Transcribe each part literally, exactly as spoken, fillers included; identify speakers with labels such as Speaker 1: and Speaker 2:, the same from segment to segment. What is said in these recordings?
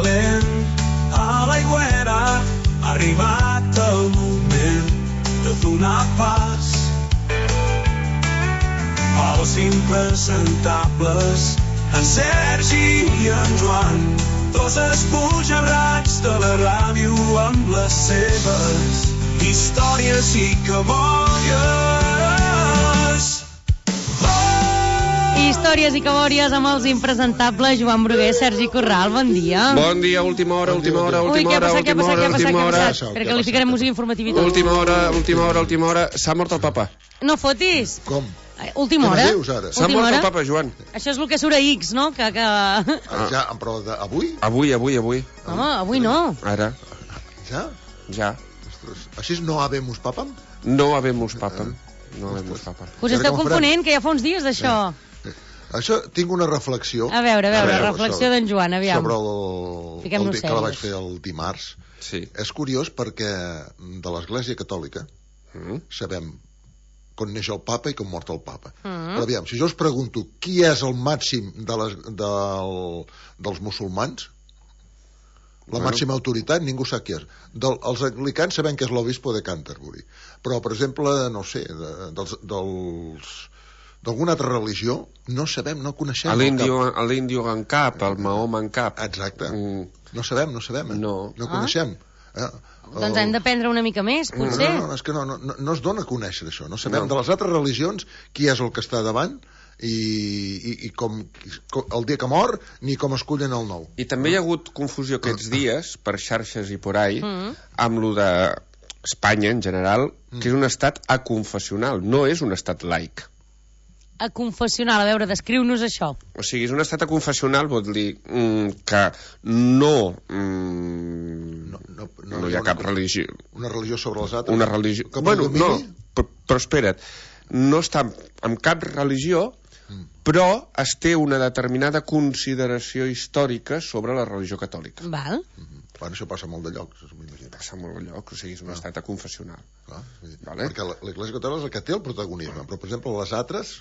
Speaker 1: calent a l'aigüera, ha arribat el moment de donar pas als impresentables, en Sergi i en Joan, dos esbojarrats de la ràdio amb les seves històries i cabòries.
Speaker 2: Històries i cabòries amb els impresentables Joan Bruguer, Sergi Corral, bon dia.
Speaker 3: Bon dia, última hora, última hora, última hora, última hora, última hora.
Speaker 2: Espera que li ficarem música informativa i tot.
Speaker 3: Última hora, última hora, última hora. S'ha mort el papa.
Speaker 2: No fotis.
Speaker 4: Com?
Speaker 2: Última hora.
Speaker 3: S'ha mort el papa, Joan.
Speaker 2: Això és el que surt a X, no? Que, que...
Speaker 4: Ah, ja, però avui?
Speaker 3: Avui, avui, avui.
Speaker 2: Home, avui no.
Speaker 3: Ara.
Speaker 4: Ja?
Speaker 3: Ja.
Speaker 4: Ostres, així no habemus papam?
Speaker 3: No habemus papam. No habemus papam.
Speaker 2: Us esteu confonent, que ja fa uns dies d'això.
Speaker 4: Això, tinc una reflexió.
Speaker 2: A veure, a veure, a veure reflexió d'en Joan, aviam.
Speaker 4: Sobre el, el dia que la vaig fer el dimarts.
Speaker 3: Sí. És
Speaker 4: curiós perquè de l'Església Catòlica mm. sabem com neix el papa i com mort el papa. Mm. Però aviam, si jo us pregunto qui és el màxim de les, del, dels musulmans, la bueno. màxima autoritat, ningú sap qui és. Del, els anglicans sabem que és l'obispo de Canterbury. Però, per exemple, no sé, de, dels... dels d'alguna altra religió, no sabem, no coneixem.
Speaker 3: L'índio en cap, el Mahoma en cap.
Speaker 4: Exacte. Mm. No sabem, no sabem. Eh?
Speaker 3: No.
Speaker 4: No coneixem.
Speaker 2: Ah. Eh? Doncs hem d'aprendre una mica més, potser.
Speaker 4: No, no, no, és que no, no, no es dona a conèixer això. No sabem no. de les altres religions qui és el que està davant i, i, i com, com el dia que mor ni com escullen el nou.
Speaker 3: I també hi ha hagut confusió aquests dies, per xarxes i por ahí, mm. amb lo de Espanya en general, que és un estat aconfessional, no és un estat laic.
Speaker 2: A confessional, a veure, descriu-nos això.
Speaker 3: O sigui, és un estat aconfessional, vol dir mm, que no, mm, no, no, no, no hi ha cap
Speaker 4: una,
Speaker 3: religió.
Speaker 4: Una religió sobre les altres?
Speaker 3: Una religió... Bueno, no, però, però espera't, no està en cap religió, mm. però es té una determinada consideració històrica sobre la religió catòlica.
Speaker 2: Val.
Speaker 4: Mm-hmm. Bueno, això passa molt de llocs, m'imagino.
Speaker 3: Passa molt de llocs, o sigui, és un ah. estat aconfessional.
Speaker 4: Ah, sí.
Speaker 3: Vale?
Speaker 4: Perquè l'Església Catòlica és el que té el protagonisme, però, per exemple, les altres...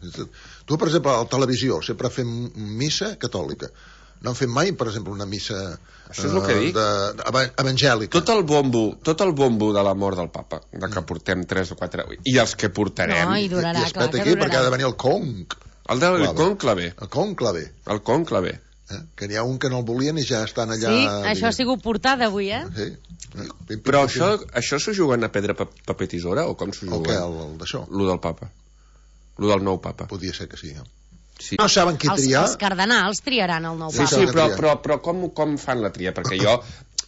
Speaker 4: Tu, per exemple, a la televisió sempre fem missa catòlica. No han fet mai, per exemple, una missa
Speaker 3: Això és el que dic.
Speaker 4: De, de, evangèlica.
Speaker 3: Tot el bombo, tot el bombo de la mort del papa, de que portem tres o quatre... I els que portarem...
Speaker 2: No, i durarà,
Speaker 4: I, i clar, aquí, perquè ha de venir el conc.
Speaker 3: El del conclave.
Speaker 4: El conclave.
Speaker 3: El conclave.
Speaker 4: Eh? Que n'hi ha un que no el volien i ja estan allà...
Speaker 2: Sí, això ha sigut portada avui, eh?
Speaker 4: Sí.
Speaker 3: Pim, pim, Però pim, això, pim. això s'ho juguen a pedra, paper, tisora, o com s'ho juguen?
Speaker 4: El què, el, el d'això?
Speaker 3: Lo del papa. Lo del nou papa.
Speaker 4: Podria ser que sí, eh?
Speaker 3: Sí.
Speaker 4: No saben qui
Speaker 2: els,
Speaker 4: triar.
Speaker 2: Els cardenals triaran el nou
Speaker 3: sí,
Speaker 2: papa.
Speaker 3: Sí, sí, però, però, però com, com fan la tria? Perquè jo,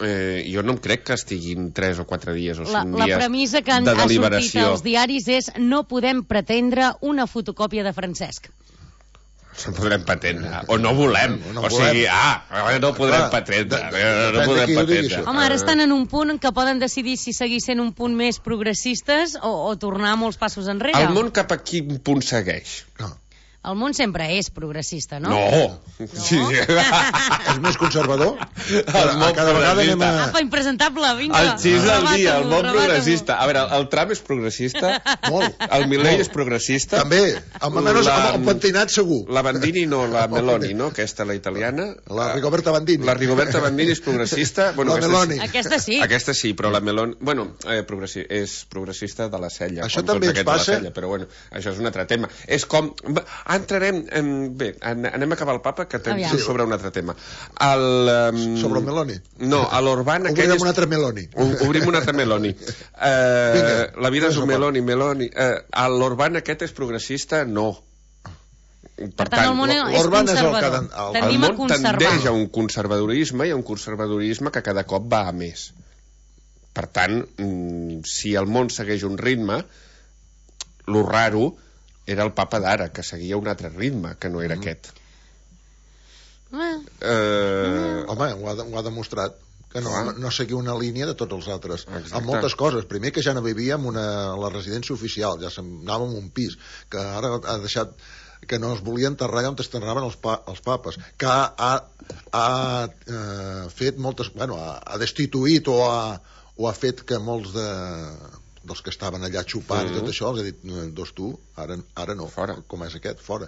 Speaker 3: eh, jo no em crec que estiguin tres o quatre dies o cinc
Speaker 2: la,
Speaker 3: dies de deliberació.
Speaker 2: La premissa que han, ha sortit als diaris és no podem pretendre una fotocòpia de Francesc.
Speaker 3: No podrem patendre, o no volem, no, no o sigui, ah, no podrem ah, patendre, de, de, no podem patendre.
Speaker 2: Home, ara estan en un punt en què poden decidir si seguir sent un punt més progressistes o, o tornar molts passos enrere.
Speaker 3: El món cap a quin punt segueix?
Speaker 4: No.
Speaker 2: El món sempre és progressista, no?
Speaker 3: No!
Speaker 2: no?
Speaker 3: Sí.
Speaker 4: És més conservador?
Speaker 3: El món
Speaker 4: cada vegada anem a...
Speaker 2: Apa, impresentable, vinga.
Speaker 3: El xis del dia, el món progressista. A veure, el Trump és progressista.
Speaker 4: Molt.
Speaker 3: El Milei és progressista.
Speaker 4: També, amb almenys el pentinat segur.
Speaker 3: La Bandini no, la Meloni, no? Aquesta, la italiana.
Speaker 4: La Rigoberta Bandini.
Speaker 3: La Rigoberta Bandini és progressista. Bueno,
Speaker 4: la Meloni.
Speaker 2: Aquesta sí.
Speaker 3: Aquesta sí, però la Meloni... Bueno, eh, progressi... és progressista de la cella.
Speaker 4: Això també ens passa.
Speaker 3: Cella, però bueno, això és un altre tema. És com... Entrarem... En... Bé, anem a acabar el papa, que tenim sí. sobre un altre tema. El, um...
Speaker 4: Sobre el Meloni?
Speaker 3: No, a l'Orban...
Speaker 4: Obrim és... un altre Meloni.
Speaker 3: Obrim un altre Meloni. Uh, la vida és un Meloni, Meloni. Uh, l'Orban aquest és progressista? No.
Speaker 2: Per, per tant, el món és conservador.
Speaker 4: El,
Speaker 3: el, el món tendeix a un conservadorisme i a un conservadorisme que cada cop va a més. Per tant, si el món segueix un ritme, lo raro era el papa d'ara, que seguia un altre ritme, que no era mm. aquest.
Speaker 2: Mm.
Speaker 3: Eh...
Speaker 4: Home, ho ha, ho ha demostrat, que no, no, no seguia una línia de tots els altres.
Speaker 3: Exacte.
Speaker 4: Amb moltes coses. Primer, que ja no vivia en una, la residència oficial, ja anàvem en un pis, que ara ha deixat que no es volia enterrar allà on es enterraven els, pa, els papes, que ha, ha, ha eh, fet moltes... Bueno, ha, ha destituït o ha, o ha fet que molts de... dels que estaven allà xupant mm -hmm. i tot això, els he dit, dos tu, ara, ara no,
Speaker 3: fora.
Speaker 4: Com és aquest, fora.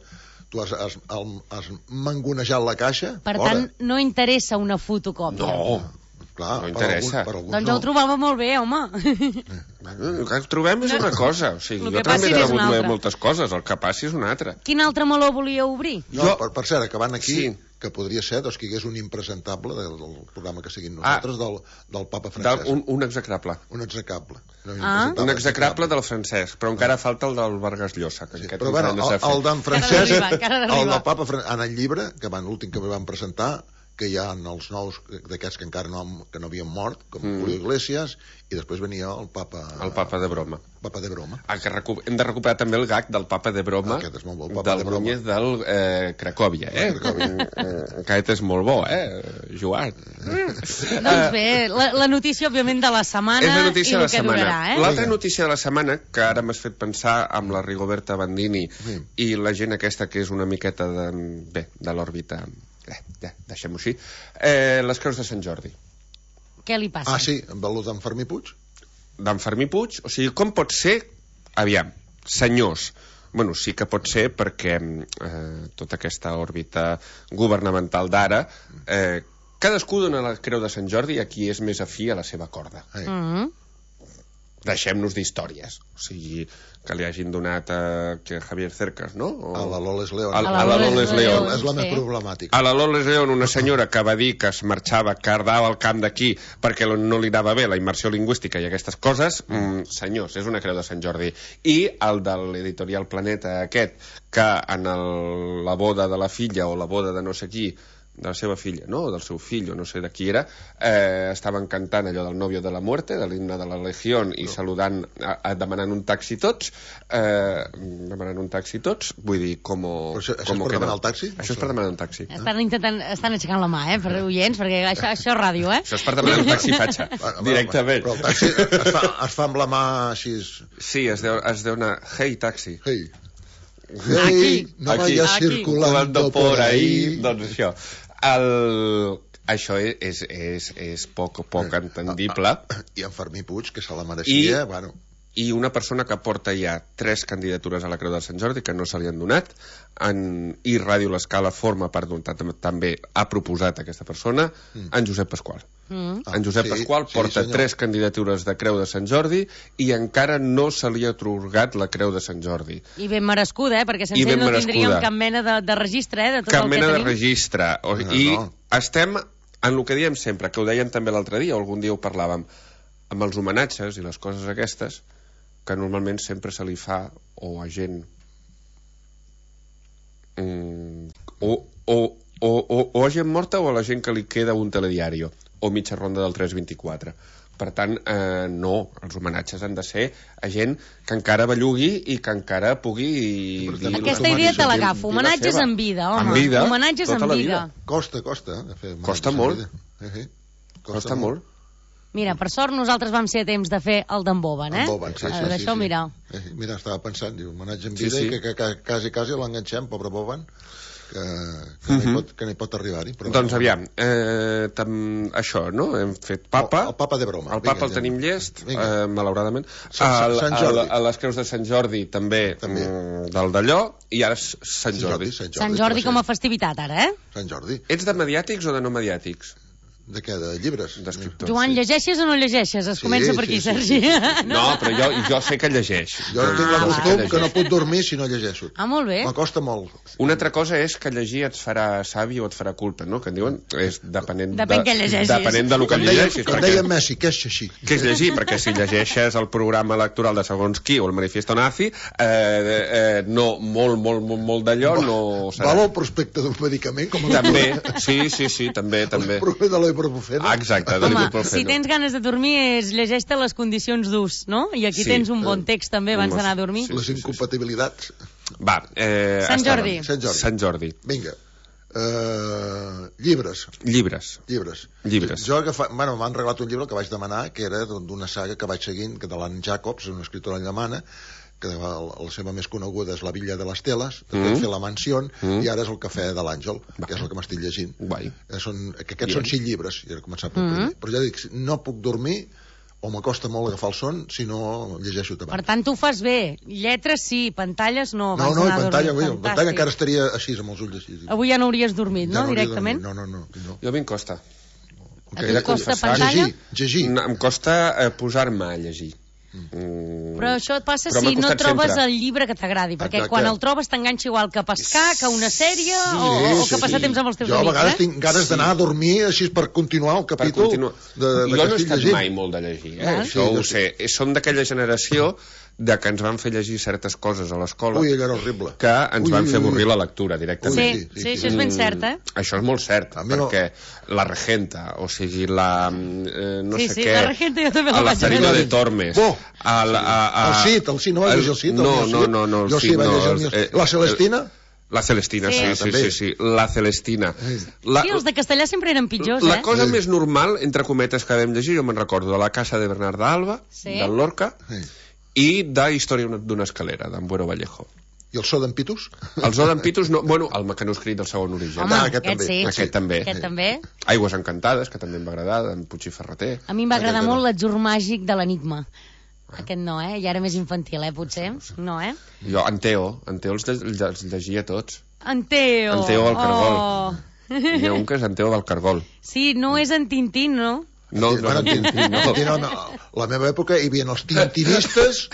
Speaker 4: Tu has, has, has mangonejat la caixa,
Speaker 2: per
Speaker 4: fora.
Speaker 2: tant, no interessa una fotocòpia.
Speaker 3: No,
Speaker 4: clar,
Speaker 3: no interessa.
Speaker 4: Per alguns, per alguns
Speaker 2: doncs
Speaker 4: no.
Speaker 2: ho trobava molt bé, home.
Speaker 3: El que trobem és una cosa. O sigui,
Speaker 2: El
Speaker 3: jo
Speaker 2: que
Speaker 3: també
Speaker 2: passi
Speaker 3: he
Speaker 2: és una
Speaker 3: rebut
Speaker 2: altra.
Speaker 3: moltes coses, el que passi és una altra.
Speaker 2: Quin altre meló volia obrir?
Speaker 4: No,
Speaker 3: Jo-
Speaker 4: per, per cert, acabant aquí,
Speaker 3: Sí.
Speaker 4: que podria ser doncs, que hi hagués un impresentable del, del programa que seguim nosaltres,
Speaker 3: Ah.
Speaker 4: del, del papa
Speaker 3: Del,
Speaker 4: francès.
Speaker 3: un, un execrable.
Speaker 4: Un execrable. No,
Speaker 2: Ah.
Speaker 4: impresentable,
Speaker 3: Un execrable del francès, però encara falta el del Vargas Llosa. Que
Speaker 4: Sí,
Speaker 3: aquest
Speaker 4: però bueno,
Speaker 3: encara no s'ha
Speaker 4: el,
Speaker 3: fet.
Speaker 4: el d'en
Speaker 2: Encara
Speaker 4: Francesc,
Speaker 2: d'arribar, encara
Speaker 4: el
Speaker 2: d'arribar.
Speaker 4: del papa Fran- en el llibre, que van l'últim que van presentar, que hi ha els nous d'aquests que encara no, han- que no havien mort, com
Speaker 3: Mm.
Speaker 4: Julio Iglesias, i després venia el papa...
Speaker 3: El papa de broma.
Speaker 4: Papa de broma.
Speaker 3: Ah, que recu- hem de recuperar també el gag del papa de broma,
Speaker 4: Aquest és molt bo, el papa
Speaker 3: del
Speaker 4: de broma.
Speaker 3: Núñez del eh, Cracòvia, eh?
Speaker 4: De Cracòvia.
Speaker 3: Eh, Aquest és molt bo, eh, Joan?
Speaker 2: Doncs bé, la, la notícia, òbviament, de la setmana
Speaker 3: És la notícia
Speaker 2: i
Speaker 3: de
Speaker 2: el
Speaker 3: la
Speaker 2: que
Speaker 3: setmana.
Speaker 2: durarà, eh?
Speaker 3: L'altra
Speaker 4: Vinga.
Speaker 3: notícia de la setmana, que ara m'has fet pensar amb la Rigoberta Bandini
Speaker 4: Sí.
Speaker 3: i la gent aquesta que és una miqueta de, bé, de l'òrbita, eh, ja, deixem-ho així, eh, les creus de Sant Jordi.
Speaker 2: Què li passa?
Speaker 4: Ah, sí, amb el d'en Fermí Puig?
Speaker 3: D'en Fermí Puig, o sigui, com pot ser, aviam, senyors, bueno, sí que pot ser perquè eh, tota aquesta òrbita governamental d'ara, eh, cadascú dona la creu de Sant Jordi a qui és més afí a la seva corda.
Speaker 4: Eh.
Speaker 2: Mm -hmm.
Speaker 3: Deixem-nos d'històries, o sigui, que li hagin donat a, que Javier Cercas, no? O...
Speaker 4: A la Loles León.
Speaker 3: A, a la Loles León.
Speaker 4: És la més
Speaker 2: Sí.
Speaker 4: problemàtica.
Speaker 3: A la Loles León, una senyora que va dir que es marxava, que ardava al camp d'aquí perquè no li anava bé la immersió lingüística i aquestes coses, mm, senyors, és una creu de Sant Jordi. I el de l'editorial Planeta aquest, que en el, la boda de la filla o la boda de no sé qui, de la seva filla, no?, o del seu fill, o no sé de qui era, eh, estaven cantant allò del Novio de la Muerte, de l'himne de la Legión, i saludant, a, a, demanant un taxi tots, eh, demanant un taxi tots, vull dir, com...
Speaker 4: Però això- això és per demanar el taxi?
Speaker 3: Això és per demanar un taxi.
Speaker 2: Estan intentant, estan aixecant la mà, eh, per oients, perquè això, això és ràdio, eh?
Speaker 3: Això és per demanar un taxi fatxa,
Speaker 4: Bueno,
Speaker 3: directament.
Speaker 4: Però el taxi es fa, es fa amb la mà així...
Speaker 3: Sí, es deu, es deu anar, hey, taxi.
Speaker 4: Hey.
Speaker 2: Aquí.
Speaker 4: Hey, no
Speaker 3: Aquí.
Speaker 4: vayas
Speaker 2: Aquí.
Speaker 4: circulando por ahí.
Speaker 3: Doncs això. El... Això és, és, és, és poc, poc entendible.
Speaker 4: I en Fermí Puig, que se la mereixia,
Speaker 3: I-
Speaker 4: bueno...
Speaker 3: I una persona que porta ja tres candidatures a la Creu de Sant Jordi que no se li han donat, en, i Ràdio L'Escala forma part d'un... També ha proposat aquesta persona, en Josep Pasqual.
Speaker 2: Mm.
Speaker 4: Ah,
Speaker 3: En Josep
Speaker 4: sí,
Speaker 3: Pasqual
Speaker 4: sí,
Speaker 3: porta
Speaker 4: senyor.
Speaker 3: tres candidatures de Creu de Sant Jordi i encara no se li ha atorgat la Creu de Sant Jordi.
Speaker 2: I ben merescuda, eh? Perquè
Speaker 3: I
Speaker 2: sense
Speaker 3: ben
Speaker 2: ell no
Speaker 3: merescuda.
Speaker 2: tindríem cap mena de, de registre, eh? De tot
Speaker 3: Cap
Speaker 2: el
Speaker 3: mena
Speaker 2: que
Speaker 3: de
Speaker 2: tenim.
Speaker 3: registre. O,
Speaker 4: No,
Speaker 3: I
Speaker 4: no.
Speaker 3: estem en el que diem sempre, que ho dèiem també l'altre dia, o algun dia ho parlàvem, amb els homenatges i les coses aquestes, que normalment sempre se li fa o a gent mm, o, o, o, o, o a gent morta o a la gent que li queda un telediario o mitja ronda del tres vint-i-quatre. Per tant, eh, no, els homenatges han de ser a gent que encara bellugui i que encara pugui
Speaker 4: per
Speaker 3: dir
Speaker 4: tant,
Speaker 3: la-
Speaker 2: Aquesta
Speaker 4: Dir-
Speaker 2: idea te
Speaker 4: dir
Speaker 2: l'agafo.
Speaker 3: dir la
Speaker 2: Homenatges
Speaker 3: seva.
Speaker 2: en vida, home.
Speaker 3: En vida,
Speaker 2: Homenatges
Speaker 3: tota
Speaker 2: en
Speaker 3: la
Speaker 2: vida.
Speaker 3: vida.
Speaker 4: Costa, costa. eh, fer
Speaker 3: Costa
Speaker 4: homenatges
Speaker 3: molt.
Speaker 4: a la vida. Eh, eh.
Speaker 3: Costa molt.
Speaker 2: Mira, per sort nosaltres vam ser a temps de fer el d'en Boban, eh?
Speaker 4: En Boban, sí, sí,
Speaker 2: Eh,
Speaker 4: sí,
Speaker 2: D'això,
Speaker 4: sí.
Speaker 2: mira.
Speaker 4: Eh, mira, estava pensant, diu, homenatge en
Speaker 3: Sí,
Speaker 4: vida
Speaker 3: sí.
Speaker 4: i que, que, que quasi, quasi l'enganxem, pobre Boban, que, que, no hi pot, que no hi pot arribar-hi. Però
Speaker 3: Doncs aviam, eh, tam, això, no? Hem fet papa.
Speaker 4: El, el papa de broma.
Speaker 3: El papa
Speaker 4: Vinga,
Speaker 3: el tenim llest,
Speaker 4: Vinga.
Speaker 3: eh, malauradament.
Speaker 4: Sant-
Speaker 3: El-
Speaker 4: Sant
Speaker 3: el-
Speaker 4: Jordi.
Speaker 3: A les creus de Sant Jordi també,
Speaker 4: També.
Speaker 3: mm, del d'allò, i ara és Sant Jordi.
Speaker 4: Sant Jordi,
Speaker 2: Sant Jordi
Speaker 4: que
Speaker 2: com
Speaker 4: va
Speaker 2: a festivitat, ara, eh?
Speaker 4: ser- Sant Jordi.
Speaker 3: Ets de mediàtics o de no mediàtics?
Speaker 4: De què? De llibres?
Speaker 3: D'escriptors.
Speaker 2: Joan,
Speaker 3: sí.
Speaker 2: llegeixes o no llegeixes? Es
Speaker 4: Sí,
Speaker 2: comença per
Speaker 4: sí,
Speaker 2: aquí,
Speaker 4: sí,
Speaker 2: Sergi.
Speaker 4: sí, sí,
Speaker 3: No, però jo, jo sé que llegeix.
Speaker 4: Jo tinc la
Speaker 2: Ah,
Speaker 4: costum
Speaker 2: va.
Speaker 4: que no puc dormir si no llegeixo.
Speaker 2: Ah, molt bé.
Speaker 4: M'acosta molt.
Speaker 3: Una altra cosa és que llegir et farà savi o et farà culpa, no? Que en diuen, és depenent,
Speaker 2: Depèn
Speaker 3: de,
Speaker 2: què llegeixis.
Speaker 3: depenent del que
Speaker 4: Com deia,
Speaker 3: llegeixis.
Speaker 4: com
Speaker 3: perquè-
Speaker 4: deia Messi, que és així.
Speaker 3: Què és llegir? Perquè si llegeixes el programa electoral de segons qui o el manifiesto nazi, eh, eh, no, molt, molt, molt, molt d'allò no serà.
Speaker 4: Val el prospecte d'un medicament com el
Speaker 3: També, sí, sí, sí, també, també.
Speaker 4: el prospecte de l'ibuprofeno.
Speaker 3: Ah, exacte, de
Speaker 2: Home,
Speaker 3: l'ibuprofeno.
Speaker 2: si tens ganes de dormir, és llegeix-te les condicions d'ús, no? I aquí
Speaker 3: Sí.
Speaker 2: tens un bon text, també, abans d'anar a dormir.
Speaker 3: Sí,
Speaker 4: Les
Speaker 3: sí, sí, sí.
Speaker 4: incompatibilitats.
Speaker 3: Va, eh,
Speaker 2: Sant
Speaker 3: estàvem.
Speaker 2: Jordi.
Speaker 4: Sant Jordi.
Speaker 3: Sant Jordi.
Speaker 4: Vinga. Uh, llibres.
Speaker 3: Llibres.
Speaker 4: Llibres.
Speaker 3: Llibres.
Speaker 4: Jo agafa... bueno, m'han regalat un llibre que vaig demanar, que era d'una saga que vaig seguint, que de l'Anne Jacobs, una escriptora alemana, que la, la seva més coneguda és La Villa de les Teles, després
Speaker 3: Mm.
Speaker 4: mm. fer La Mansió,
Speaker 3: Mm.
Speaker 4: i ara és El Cafè de l'Àngel,
Speaker 3: Va.
Speaker 4: que és el que m'estic llegint.
Speaker 3: Guai.
Speaker 4: Eh, són, que aquests
Speaker 3: Bien.
Speaker 4: són cinc llibres, i he començat pel
Speaker 2: Mm.
Speaker 4: primer. Però ja dic, no puc dormir o m'acosta molt agafar el son si no llegeixo
Speaker 2: Per
Speaker 4: abans.
Speaker 2: tant, tu ho fas bé. Lletres sí, pantalles no.
Speaker 4: No,
Speaker 2: abans
Speaker 4: no, i
Speaker 2: d'anar a
Speaker 4: pantalla,
Speaker 2: dormir.
Speaker 4: avui, pantalla encara estaria així, amb els ulls així.
Speaker 2: Avui ja no hauries dormit,
Speaker 4: Ja
Speaker 2: no,
Speaker 4: hauria
Speaker 2: directament?
Speaker 4: dormit. No, no, no. no.
Speaker 3: Jo a mi em costa.
Speaker 2: A tu
Speaker 3: He de
Speaker 2: et costa
Speaker 3: confessar.
Speaker 2: pantalla?
Speaker 4: Llegir, llegir.
Speaker 3: No, em costa eh, posar-me a llegir. Mm.
Speaker 2: Però això et passa
Speaker 3: Però
Speaker 2: si
Speaker 3: m'ha
Speaker 2: no
Speaker 3: costat
Speaker 2: trobes
Speaker 3: sempre.
Speaker 2: el llibre que t'agradi, perquè
Speaker 4: Exacte.
Speaker 2: quan el trobes t'enganxa igual que pescar, que una sèrie, o, o que passar temps amb els teus
Speaker 4: jo a
Speaker 2: amics.
Speaker 4: vegades
Speaker 2: eh?
Speaker 4: tinc ganes
Speaker 3: Sí.
Speaker 4: d'anar a dormir així per continuar el
Speaker 3: Per
Speaker 4: capítol
Speaker 3: continuar.
Speaker 4: de, de,
Speaker 3: jo
Speaker 4: que
Speaker 3: no he
Speaker 4: estic
Speaker 3: estat
Speaker 4: llegint.
Speaker 3: mai molt de llegir, eh?
Speaker 2: Val.
Speaker 3: Això
Speaker 4: Sí,
Speaker 3: ho
Speaker 4: jo
Speaker 3: sé. Som d'aquella generació de que ens van fer llegir certes coses a l'escola
Speaker 4: Ui, allò era horrible.
Speaker 3: que ens
Speaker 4: Ui,
Speaker 3: van
Speaker 4: ui,
Speaker 3: fer
Speaker 4: ui.
Speaker 3: avorrir la lectura
Speaker 2: Sí,
Speaker 3: directament.
Speaker 2: sí, sí, això és ben cert, eh?
Speaker 3: Mm, Això és molt cert,
Speaker 4: A mi no-
Speaker 3: perquè la regenta, o sigui, la... Eh, no
Speaker 2: Sí,
Speaker 3: sé
Speaker 2: sí,
Speaker 3: què...
Speaker 2: la regenta jo també la
Speaker 3: a la
Speaker 2: vaig
Speaker 3: Farina
Speaker 2: veure.
Speaker 3: de Tormes.
Speaker 4: Oh!
Speaker 3: A, la- a, a,
Speaker 4: El Cid, el Cid, no vas llegir el Cid? El
Speaker 3: No,
Speaker 4: Cid?
Speaker 3: no, no, no, el
Speaker 4: Jo sí
Speaker 3: Cid,
Speaker 4: vaig
Speaker 3: no,
Speaker 4: llegir el
Speaker 3: els-
Speaker 4: Cid. La Celestina?
Speaker 3: La Celestina,
Speaker 2: Sí.
Speaker 3: sí,
Speaker 4: Ah,
Speaker 3: sí,
Speaker 4: també.
Speaker 3: sí, sí, la Celestina. La,
Speaker 2: Sí, els de castellà sempre eren pitjors,
Speaker 3: la
Speaker 2: eh?
Speaker 3: cosa
Speaker 4: Sí.
Speaker 3: més normal, entre cometes, que vam llegir, jo me'n recordo, de La casa de Bernarda Alba,
Speaker 2: Sí.
Speaker 3: del Lorca,
Speaker 4: Sí.
Speaker 3: i de Història d'una escalera, d'en Buero Vallejo.
Speaker 4: I el so d'en Pitus?
Speaker 3: Els Odem Pitus, no, bueno, el mecanoscrit del segon origen.
Speaker 2: Home,
Speaker 4: Ah, aquest
Speaker 2: aquest,
Speaker 4: també.
Speaker 2: sí.
Speaker 3: Aquest també.
Speaker 2: Aquest també.
Speaker 3: Aigües encantades, que també em va agradar, d'en Puig i Ferreter.
Speaker 2: A mi em va agradar
Speaker 4: Aquest
Speaker 2: molt
Speaker 4: no.
Speaker 2: l'atzur màgic de l'enigma. Aquest no, eh? Ja era més infantil, eh, potser? No, eh?
Speaker 3: Jo, en Teo, en Teo els, lle- els llegia tots.
Speaker 2: En Teo.
Speaker 3: En Teo del Cargol.
Speaker 2: Oh.
Speaker 3: Hi ha un que és en Teo del Cargol.
Speaker 2: Sí, no és en Tintín, no?
Speaker 3: No,
Speaker 4: Sí,
Speaker 3: no,
Speaker 4: bueno,
Speaker 3: no, no, no.
Speaker 4: Tintín, no, no. La meva època hi havia els tintinistes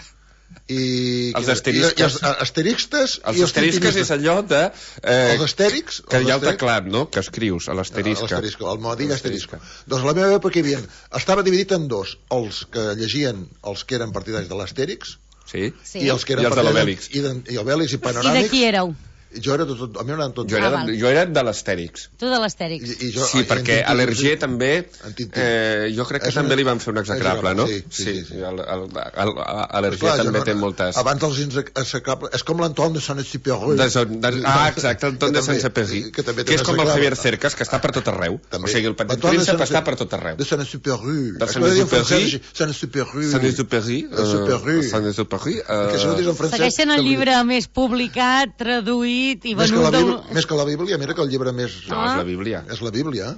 Speaker 4: i...
Speaker 3: Els
Speaker 4: i-
Speaker 3: asterisques.
Speaker 4: I, i els asteristes
Speaker 3: Els
Speaker 4: i
Speaker 3: asterisques és
Speaker 4: tintinistes.
Speaker 3: allò de... Eh,
Speaker 4: Els astèrics?
Speaker 3: que hi ha el
Speaker 4: els astèrics-
Speaker 3: teclat, no?, que escrius a l'asterisca.
Speaker 4: L'asterisco, el modell asterisco. Doncs la meva època hi havia... Estava dividit en dos. Els que llegien els que eren partidaris de l'astèrix
Speaker 3: Sí?
Speaker 2: Sí.
Speaker 4: i els que eren
Speaker 3: I els de
Speaker 4: partidaris-
Speaker 3: l'Obèlix.
Speaker 4: I, de- i Obèlix i
Speaker 2: I
Speaker 4: Panoràmics.
Speaker 2: de qui éreu?
Speaker 4: Jo era de tot... A mi m'agraden tots.
Speaker 3: Jo era,
Speaker 2: Ah, val.
Speaker 3: jo era de l'Astèrix.
Speaker 2: Tu de l'Astèrix.
Speaker 4: I, i jo,
Speaker 3: Sí,
Speaker 4: i
Speaker 3: perquè
Speaker 4: en
Speaker 3: a
Speaker 4: Tintín-
Speaker 3: l'Hergé també...
Speaker 4: En Tintín.
Speaker 3: Eh, jo crec que
Speaker 4: És
Speaker 3: també
Speaker 4: una-
Speaker 3: li van fer un execrable, no?
Speaker 4: Sí, sí, sí, sí.
Speaker 3: El, el, el, a l'Hergé
Speaker 4: Clar,
Speaker 3: també
Speaker 4: jo
Speaker 3: té moltes...
Speaker 4: Abans els execrables... És com l'Antoine de Saint-Exupéry.
Speaker 3: De, son- de, ah, exacte, el ton de Saint-Exupéry,
Speaker 4: que, també té
Speaker 3: que és
Speaker 4: un
Speaker 3: com el
Speaker 4: execrable.
Speaker 3: Javier Cercas, que està per tot arreu.
Speaker 4: També.
Speaker 3: O sigui, el petit
Speaker 4: L'Antoine de
Speaker 3: príncep
Speaker 4: Saint-
Speaker 3: està per tot arreu.
Speaker 4: De Saint-Exupéry.
Speaker 3: De
Speaker 4: És que ho deia en
Speaker 3: Saint-Exupéry.
Speaker 4: francès, Saint-Exupéry.
Speaker 3: Saint-Exupéry. eh,
Speaker 4: Saint-Exupéry.
Speaker 3: Saint-Exupéry.
Speaker 4: Que si no ho dius en
Speaker 3: eh,
Speaker 4: francès...
Speaker 2: Segueix sent el
Speaker 4: també-
Speaker 2: llibre més publicat, traduït i
Speaker 4: Més que,
Speaker 2: venut
Speaker 4: la
Speaker 2: del...
Speaker 4: Bíblia, més que la Bíblia, mira que el llibre més...
Speaker 3: No, és la Bíblia.
Speaker 4: És la Bíblia.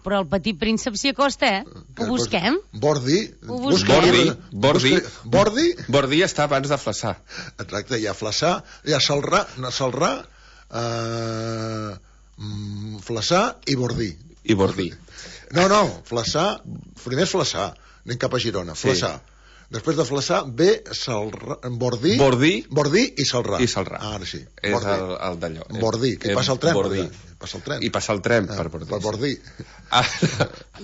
Speaker 2: Però el petit príncep s'hi acosta, eh? Ho busquem?
Speaker 4: Bordi.
Speaker 2: Ho
Speaker 4: busca-
Speaker 2: busquem.
Speaker 3: Bordi, Bordi.
Speaker 4: busca- Bordi.
Speaker 3: Bordi està abans de Flaçà.
Speaker 4: Exacte, hi ha Flaçà, hi ha Salrà, no, Salrà, eh, mm, Flaçà i Bordi.
Speaker 3: I Bordi.
Speaker 4: No, no, Flaçà, primer és Flaçà, anem cap a Girona,
Speaker 3: Sí.
Speaker 4: Flaçà. Després de Flaçà ve Salrà, Bordi,
Speaker 3: Bordi.
Speaker 4: Bordi i Salrà.
Speaker 3: I Salrà.
Speaker 4: Ah, ara sí.
Speaker 3: És
Speaker 4: Bordi.
Speaker 3: el, el d'allò.
Speaker 4: Bordi, que hi
Speaker 3: Eh,
Speaker 4: passa el tren.
Speaker 3: Bordi.
Speaker 4: per allà. Passa el tren.
Speaker 3: I passa el tren
Speaker 4: Ah,
Speaker 3: per Bordi.
Speaker 4: Per Bordi.
Speaker 3: Ah,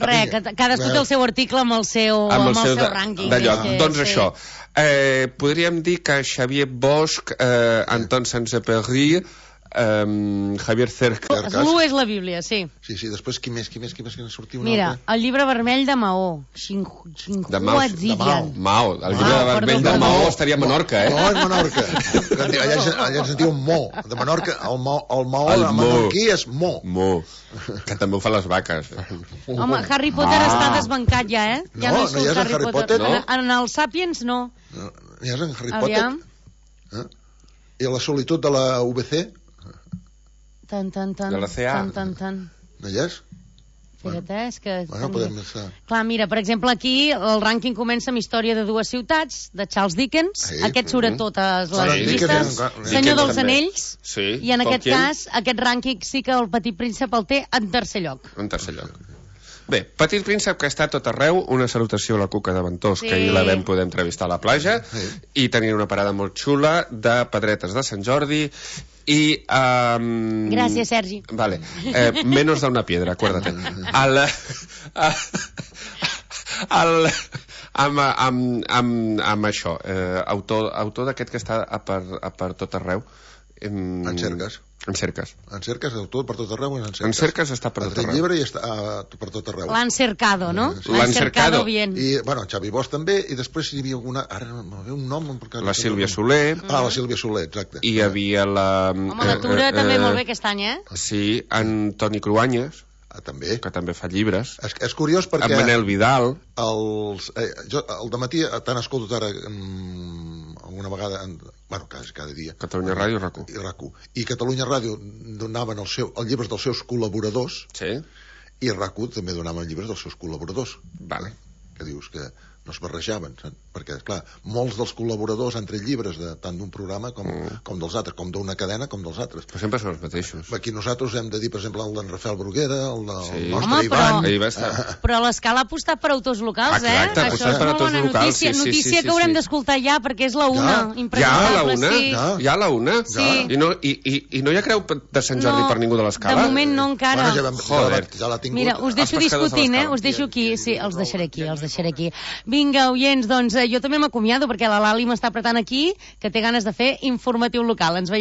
Speaker 2: Res, que cadascú té el seu article amb el seu,
Speaker 3: amb el seu,
Speaker 2: seu
Speaker 3: de-
Speaker 2: rànquing.
Speaker 3: d'allò.
Speaker 2: és que-
Speaker 3: Doncs
Speaker 2: sí.
Speaker 3: això, eh, podríem dir que Xavier Bosch, eh, Anton Saint-Exupéry, eh, Javier Cerca...
Speaker 2: L'u és la Bíblia, sí.
Speaker 4: Sí, sí, després qui més, qui més, qui més, qui més sortia un
Speaker 2: Mira,
Speaker 4: altre?
Speaker 2: el llibre vermell de Maó, Xin-
Speaker 3: De Mao, de
Speaker 2: Xinhuaziyan.
Speaker 3: Mao, el llibre
Speaker 2: Ah,
Speaker 3: de vermell
Speaker 2: perdó,
Speaker 3: de
Speaker 2: perdó.
Speaker 3: Maó estaria a Menorca, eh?
Speaker 4: No, és Menorca. allà, ens- allà ens en diuen Mo. De Menorca, el Mo, el Mo
Speaker 3: El
Speaker 4: el
Speaker 3: Mo.
Speaker 4: menorquí és Mo.
Speaker 3: Mo, que també ho fan les vaques.
Speaker 2: Home, Harry Potter
Speaker 3: Ah.
Speaker 2: està desbancat ja, eh? Ja
Speaker 4: No,
Speaker 2: no,
Speaker 4: no
Speaker 2: surt
Speaker 4: hi és en
Speaker 2: Harry,
Speaker 4: Harry
Speaker 2: Potter.
Speaker 4: Potter,
Speaker 3: no?
Speaker 2: En, en el Sapiens, no.
Speaker 4: No, ja és en Harry
Speaker 2: Aviam.
Speaker 4: Potter. Eh? I la solitud de la U B C,
Speaker 2: Tan, tan, tan.
Speaker 3: De la C A.
Speaker 2: Tan, tan, tan.
Speaker 4: no hi és?
Speaker 2: Espera't, eh? És que...
Speaker 4: Bueno, podem estar...
Speaker 2: Clar, mira, per exemple, aquí el rànquing comença amb Història de dues ciutats, de Charles Dickens.
Speaker 4: Sí.
Speaker 2: Aquest surt a totes les
Speaker 4: Sí,
Speaker 2: llistes.
Speaker 4: Dickens, Dickens
Speaker 2: Senyor dels
Speaker 3: també.
Speaker 2: Anells.
Speaker 3: Sí.
Speaker 2: I en aquest
Speaker 3: Tolkien,
Speaker 2: cas, aquest rànquing sí que el Petit Príncep el té en tercer lloc.
Speaker 3: En tercer lloc. Bé, Petit Príncep, que està a tot arreu, una salutació a la Cuca de Ventós,
Speaker 2: Sí.
Speaker 3: que ahir la vam poder entrevistar a la platja,
Speaker 4: Sí.
Speaker 3: i tenir una parada molt xula de pedretes de Sant Jordi, i... Um...
Speaker 2: Gràcies, Sergi.
Speaker 3: Vale. Eh, menos de una piedra, acuérdate. Al... a- al... Amb, amb, amb, amb això, eh, autor, autor d'aquest que està a per, a per tot arreu. Em...
Speaker 4: En cerques.
Speaker 3: En cerques.
Speaker 4: En cerques, el tot per tot arreu, en cerques.
Speaker 3: En cerques està per
Speaker 4: Ha
Speaker 3: tot
Speaker 4: tret
Speaker 3: arreu.
Speaker 4: llibre i està ah, per tot arreu.
Speaker 2: L'han cercado, no?
Speaker 4: Sí.
Speaker 3: L'han cercado.
Speaker 2: bien.
Speaker 4: I, bueno, Xavi Bosch també, i després hi havia alguna... Ara no me ve un nom... perquè-
Speaker 3: La Sílvia Soler,
Speaker 4: Ah, la Sílvia Soler, exacte.
Speaker 3: i hi havia la...
Speaker 2: Home, Natura
Speaker 3: eh,
Speaker 2: també
Speaker 3: eh,
Speaker 2: molt bé aquest any, eh?
Speaker 3: Sí, en Toni Cruanyes,
Speaker 4: Ah, també.
Speaker 3: que també fa llibres,
Speaker 4: És, és curiós perquè...
Speaker 3: en Manel Vidal,
Speaker 4: Els, eh, jo el dematí t'han escoltat ara mm, alguna vegada en, bueno, cada, cada dia
Speaker 3: Catalunya Ràdio i RAC1.
Speaker 4: i RAC1 i Catalunya Ràdio donaven el seu, els llibres dels seus col·laboradors
Speaker 3: Sí?
Speaker 4: i RAC1 també donaven llibres dels seus col·laboradors
Speaker 3: Vale.
Speaker 4: que dius que no es barrejaven, saps? Perquè, clar, molts dels col·laboradors han tret llibres de, tant d'un programa com, mm. com dels altres, com d'una cadena com dels altres.
Speaker 3: Però sempre són els mateixos.
Speaker 4: Aquí nosaltres hem de dir, per exemple, el d'en Rafael Bruguera, el del
Speaker 3: Sí.
Speaker 4: nostre
Speaker 2: Home,
Speaker 4: Ivan...
Speaker 2: però-
Speaker 3: Ahir va estar.
Speaker 2: Però l'Escala ha apostat per autors locals,
Speaker 3: Exacte, ha
Speaker 2: eh? Això
Speaker 3: apostat
Speaker 2: és
Speaker 3: per
Speaker 2: molt
Speaker 3: autors
Speaker 2: bona
Speaker 3: locals,
Speaker 2: notícia.
Speaker 3: sí, sí,
Speaker 2: notícia
Speaker 3: sí, sí,
Speaker 2: que haurem
Speaker 3: sí.
Speaker 2: d'escoltar ja, perquè és la una.
Speaker 4: Ja,
Speaker 3: Ja a
Speaker 2: Impresentable,
Speaker 3: la una?
Speaker 2: sí.
Speaker 4: Ja.
Speaker 3: Ja a la una?
Speaker 2: Sí.
Speaker 3: I no, i, i, I no hi ha creu de Sant Jordi
Speaker 2: No,
Speaker 3: per ningú de l'Escala?
Speaker 2: de moment no encara.
Speaker 4: Bueno, ja, vam, ja,
Speaker 3: Joder.
Speaker 4: la, ja l'ha tingut.
Speaker 2: Mira, us deixo
Speaker 3: Els pescadors de
Speaker 2: discutint, eh?
Speaker 3: l'Escala.
Speaker 2: Us deixo aquí. Sí, els deixaré aquí, els deixaré aquí. Vinga, oients, doncs eh, jo també m'acomiado perquè la Lali m'està apretant aquí, que té ganes de fer informatiu local. Ens veiem